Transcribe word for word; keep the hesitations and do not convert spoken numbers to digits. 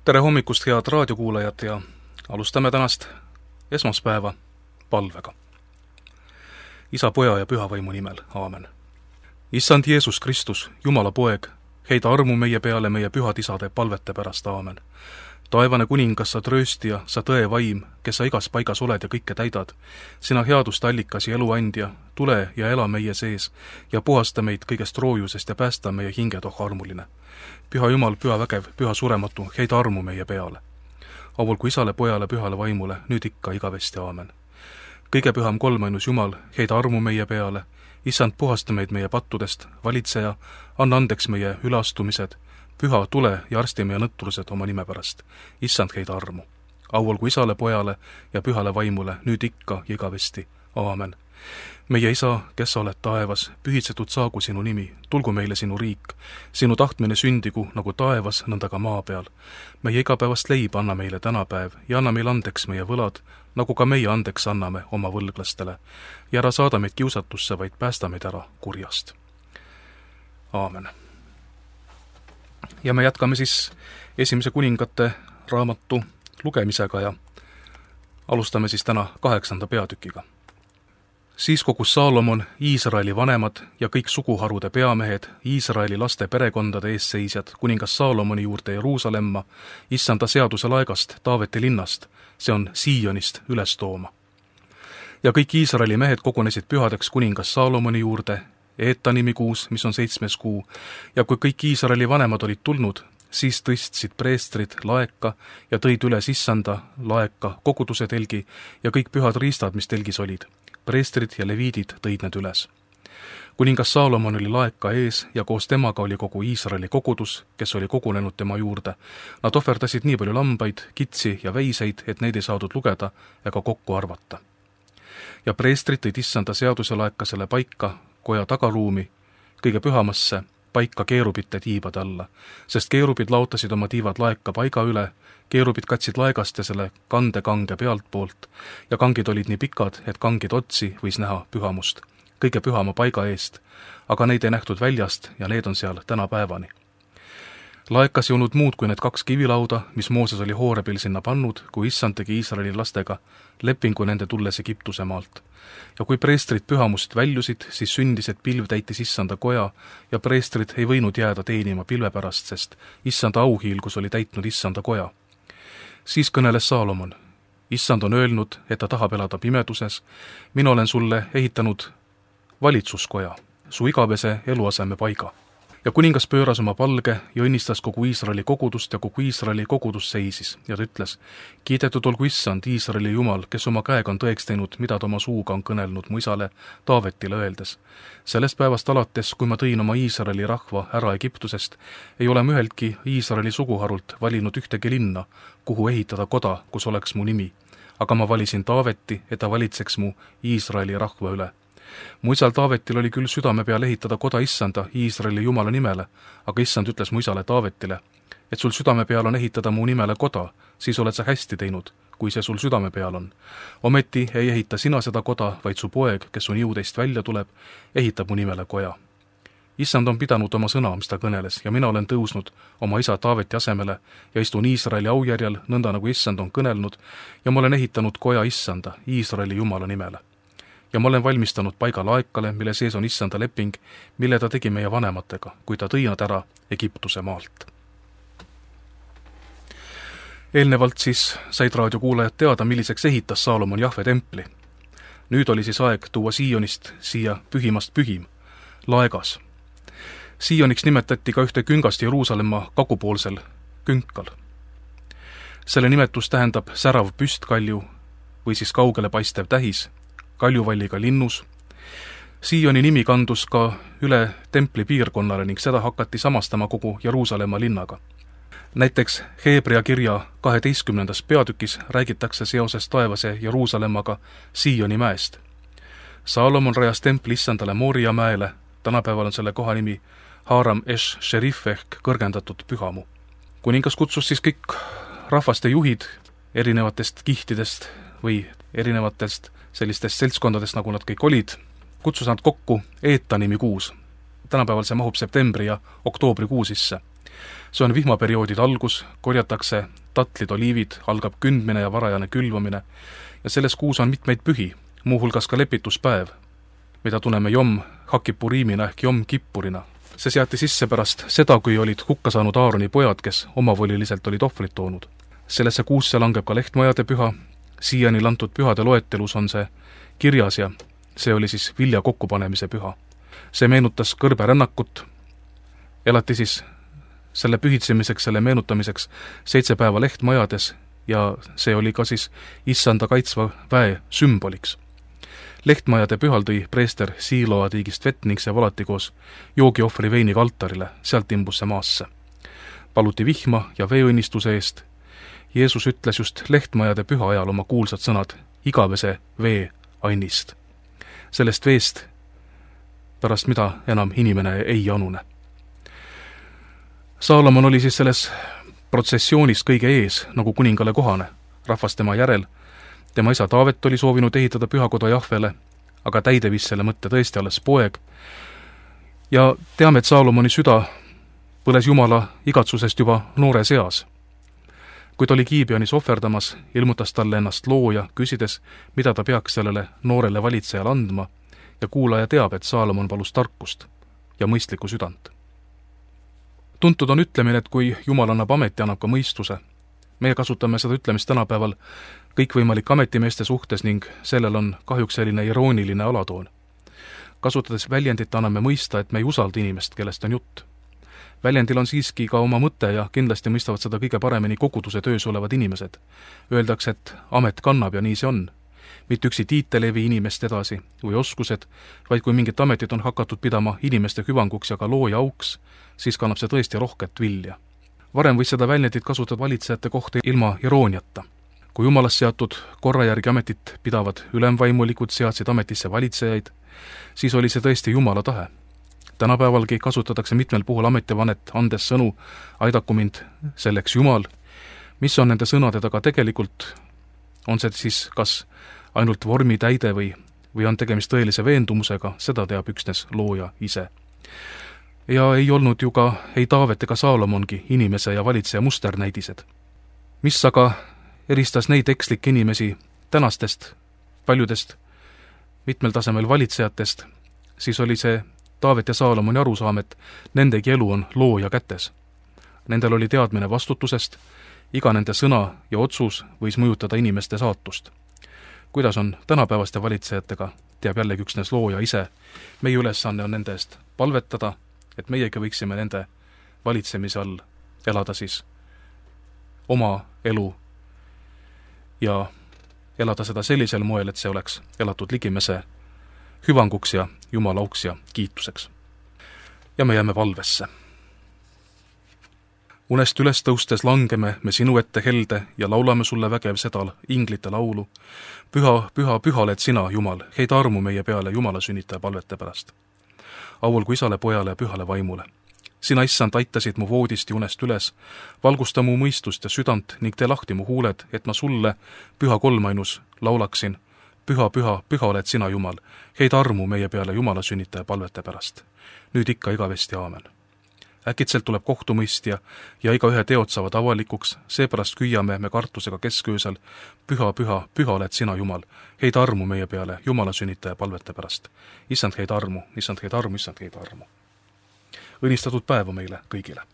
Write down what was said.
Tere hommikust, head raadiokuulajad, ja alustame tänast esmaspäeva palvega. Isa, Poja ja Pühavaimu nimel, aamen. Issand Jeesus Kristus, Jumala poeg, heida armu meie peale meie pühad isade palvete pärast, aamen. Taevane kuningas, sa trööstija, sa tõe vaim, kes sa igas paigas oled ja kõike täidad. Sina headuste allikas ja eluandja, tule ja ela meie sees ja puhasta meid kõigest roojusest ja päästa meie hinged, oh armuline. Püha Jumal, püha vägev, püha surematu, heida armu meie peale. Auvulgu Isale, Pojale, Pühale Vaimule, nüüd ikka igavesti, aamen. Kõige püham kolmainus Jumal, heida armu meie peale. Issand, puhasta meid meie pattudest, valitseja, anna andeks meie üleastumised, püha, tule ja arsti meie nõtturused oma nime pärast. Issand, heida armu. Auvulgu Isale, Pojale ja Pühale Vaimule, nüüd ikka ja igavesti, aamen. Meie Isa, kes sa oled taevas, pühitsetud saagu sinu nimi, tulgu meile sinu riik, sinu tahtmine sündigu nagu taevas, nõnda ka maa peal. Meie igapäevast leib anna meile tänapäev ja anna meile andeks meie võlad, nagu ka meie andeks anname oma võlglastele. Ja ära saada meid kiusatusse, vaid päästa meid ära kurjast. Aamen. Ja me jätkame siis esimese kuningate raamatu lugemisega ja alustame siis täna kaheksanda peatükiga. Siis kogus Saalomon, Iisraeli vanemad ja kõik suguharude peamehed, Iisraeli laste perekondade eesseisjad, kuningas Saalomoni juurde Jeruusalemma, issanda seaduse laegast, Taaveti linnast, see on Siionist, üles tooma. Ja kõik Iisraeli mehed kogunesid pühadeks kuningas Saalomoni juurde, Eetanimi kuus, mis on seitsmes kuu, ja kui kõik Iisraeli vanemad olid tulnud, siis tõstsid preestrid laeka ja tõid üles issanda laeka, koguduse telgi ja kõik pühad riistad, mis telgis olid. Preestrid ja leviidid tõid need üles. Kuningas Saalomon oli laeka ees ja koos temaga oli kogu Iisraeli kogudus, kes oli kogunenud tema juurde. Nad ohverdasid nii palju lambaid, kitsi ja veiseid, et neid ei saadud lugeda ega kokku arvata. Ja preestrid tõid issanda seaduse laeka selle paika, koja tagaruumi, kõige pühamasse, paika keerubite tiibade alla, sest keerubid laotasid oma tiivad laeka paiga üle, keerubid katsid laegast ja selle kande kange pealt poolt ja kangid olid nii pikad, et kangid otsi võis näha pühamust, kõige pühama paiga eest, aga neid ei nähtud väljast ja need on seal tänapäevani. Laekas ei olnud muud kui need kaks kivilauda, mis Mooses oli Hoorebil sinna pannud, kui issand tegi Iisraeli lastega lepingu nende tulles Egiptuse maalt. Ja kui preestrid pühamust väljusid, siis sündis, et pilv täitis issanda koja ja preestrid ei võinud jääda teenima pilve pärast, sest issanda auhiilgus oli täitnud issanda koja. Siis kõneles Saalomon, issand on öelnud, et ta tahab elada pimeduses, mina olen sulle ehitanud valitsuskoja, su igavese eluaseme paiga. Ja kuningas pööras oma palge ja õnnistas kogu Iisraeli kogudust ja kogu Iisraeli kogudus seisis ja ta ütles, kiidetud olgu issand Iisraeli Jumal, kes oma käega on tõeks teinud, mida ta oma suuga on kõnelnud mu isale Taavetile öeldes. Sellest päevast alates, kui ma tõin oma Iisraeli rahva ära Egiptusest, ei ole ma üheltki Iisraeli suguharult valinud ühtegi linna, kuhu ehitada koda, kus oleks mu nimi. Aga ma valisin Taaveti, et ta valitseks mu Iisraeli rahva üle. Mu isal Taavetil oli küll südame peal ehitada koda issanda Iisraeli Jumala nimele, aga issand ütles mu isale Taavetile, et sul südame peal on ehitada mu nimele koda, siis oled sa hästi teinud, kui see sul südame peal on. Ometi ei ehita sina seda koda, vaid su poeg, kes on jõudeist välja tuleb, ehitab mu nimele koja. Issand on pidanud oma sõna, mis ta kõneles, ja mina olen tõusnud oma isa Taaveti asemele ja istun Iisraeli aujärjel, nõnda nagu issand on kõnelnud, ja ma olen ehitanud koja issanda Iisraeli Jumala nimele. Ja ma olen valmistanud paiga laekale, mille sees on issanda leping, mille ta tegi meie vanematega, kui ta tõi nad ära Egiptuse maalt. Eelnevalt siis said raadiokuulajad teada, milliseks ehitas Saalomon Jahve templi. Nüüd oli siis aeg tuua Siionist siia pühimast pühim, laegas. Sioniks nimetati ka ühte küngast Jeruusalemma kagupoolsel künkal. Selle nimetus tähendab särav püstkalju või siis kaugele paistev tähis, kaljuvalliga linnus. Sioni nimi kandus ka üle templi piirkonnale ning seda hakati samastama kogu Jeruusalemma linnaga. Näiteks Heebrea kirja kaheteistkümnendas peatükis räägitakse seoses taevase Jeruusalemmaga Sioni mäest. Saalomon rajas templi issandale Mooria mäele, tänapäeval on selle koha nimi Haaram Esh Sherif ehk kõrgendatud pühamu. Kuningas kutsus siis kõik rahvaste juhid erinevatest kihtidest või erinevatest sellistest seltskondadest, nagu nad kõik olid, kutsus nad kokku Eetanimi kuus. Tänapäeval see mahub septembri ja oktoobri kuu sisse. see on vihmaperioodide algus, korjatakse tatlid, oliivid, algab kündmine ja varajane külvamine ja selles kuus on mitmeid pühi, muuhulgas ka lepituspäev, mida tunneme Jom Hakipuriimina ehk Jom Kippurina. See seati sisse pärast seda, kui olid hukka saanud Aaroni pojad, kes omavoliliselt olid ohvrit toonud. Sellesse kuusse langeb ka lehtmajade püha, siiani lantud pühade loetelus on see kirjas ja see oli siis vilja kokkupanemise püha. See meenutas kõrberännakut, elati siis selle pühitsemiseks, selle meenutamiseks seitse päeva lehtmajades ja see oli ka siis issanda kaitsva väe sümboliks. Lehtmajade pühal tõi preester Siiloa tiigist vett ning see valati koos joogiohvri veiniga altarile, sealt imbus see maasse. Paluti vihma ja veeõnnistuse eest. Jeesus ütles just lehtmajade püha ajal oma kuulsad sõnad igavese vee annist. Sellest veest, pärast mida enam inimene ei anune. Saalomon oli siis selles protsessioonis kõige ees, nagu kuningale kohane, rahvas tema järel. Tema isa Taavet oli soovinud ehitada pühakoda Jahvele, aga täide viis selle mõtte tõesti alles poeg. Ja teame, et Saalomoni süda põles Jumala igatsusest juba noore seas. Kui ta oli Gibeonis ohverdamas, ilmutas talle ennast looja, küsides, mida ta peaks sellele noorele valitsejale andma, ja kuulaja teab, et Saalomon palus tarkust ja mõistlikku südant. Tuntud on ütlemine, et kui Jumal annab ameti, annab ka mõistuse. Meie kasutame seda ütlemist tänapäeval kõikvõimalik ametimeeste suhtes ning sellel on kahjuks selline irooniline alatoon. Kasutades väljendit anname mõista, et me ei usalda inimest, kellest on jutt. Väljendil on siiski ka oma mõte ja kindlasti mõistavad seda kõige paremini koguduse töös olevad inimesed. Öeldakse, et amet kannab ja nii see on. Mitte üksi tiitel ei vii inimest edasi või oskused, vaid kui mingit ametit on hakatud pidama inimeste hüvanguks ja ka looja auks, siis kannab see tõesti rohket vilja. Varem võis seda väljendit kasutada valitsejate kohta ilma irooniata. Kui Jumalast seatud korra järgi ametit pidavad ülemvaimulikud seadsid ametisse valitsejaid, siis oli see tõesti Jumala tahe. Tänapäevalgi kasutatakse mitmel puhul ametivanet, andes sõnu, aidaku mind selleks Jumal. Mis on nende sõnade taga tegelikult? On see siis kas ainult vormi täide või, või on tegemist tõelise veendumusega, seda teab üksnes looja ise. Ja ei olnud ju ka ei Taavet ega Saalomongi inimese ja valitseja musternäidised. Mis aga eristas neid ekslikke inimesi tänastest, paljudest mitmel tasemel valitsejatest, siis oli see Taavet ja Saalomoni arusaam, et nendegi elu on looja kätes. Nendel oli teadmine vastutusest, iga nende sõna ja otsus võis mõjutada inimeste saatust. Kuidas on tänapäevaste valitsejatega, teab jällegi üksnes looja ise. Meie ülesanne on nende eest palvetada, et meiegi võiksime nende valitsemise all elada siis oma elu ja elada seda sellisel moel, et see oleks elatud ligimese hüvanguks ja Jumala auks ja kiituseks. Ja me jääme valvesse. Unest üles tõustes langeme me sinu ette helde ja laulame sulle vägev sedal inglite laulu. Püha, püha, püha oled sina, Jumal, heida armu meie peale Jumala sünnitaja palvete pärast. Aulgu isale, pojale ja pühale vaimule. Sina, issand, aitasid mu voodist ja unest üles, valgusta mu mõistust ja südant ning tee lahti mu huuled, et ma sulle, püha kolmainus, laulaksin. Püha, püha, püha oled sina, Jumal, heida armu meie peale Jumala sünnitaja palvete pärast. Nüüd ikka igavesti aamen. Äkitselt tuleb kohtumõistja ja iga ühe teod saavad avalikuks, seepärast küüame me kartusega kesköösel. Püha, püha, püha oled sina, Jumal, heida armu meie peale Jumala sünnitaja palvete pärast. Issand heida armu, issand heida armu, issand heida armu. Õnnistatud päeva meile kõigile!